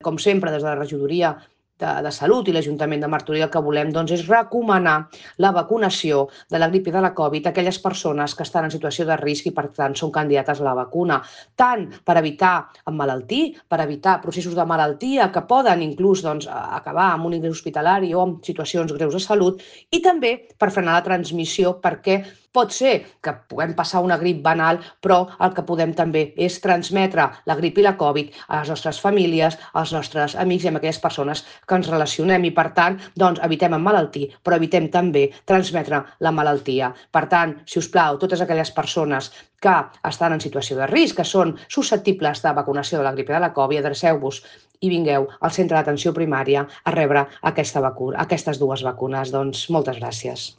Com sempre, des de la regidoria de Salut i l'Ajuntament de Martorell el que volem és recomanar la vacunació de la grip i de la Covid a aquelles persones que estan en situació de risc i, per tant, són candidates a la vacuna, tant per evitar emmalaltir, per evitar processos de malaltia que poden inclús acabar amb un ingrés hospitalari o amb situacions greus de salut, i també per frenar la transmissió, perquè pot ser que puguem passar una grip banal, però el que podem també és transmetre la grip i la Covid a les nostres famílies, als nostres amics i a aquelles persones que ens relacionem i, per tant, evitem emmalaltir, però evitem també transmetre la malaltia. Per tant, si us plau, totes aquelles persones que estan en situació de risc, que són susceptibles de vacunació de la grip i de la Covid, adreceu-vos i vingueu al centre d'atenció primària a rebre aquestes dues vacunes. Moltes gràcies.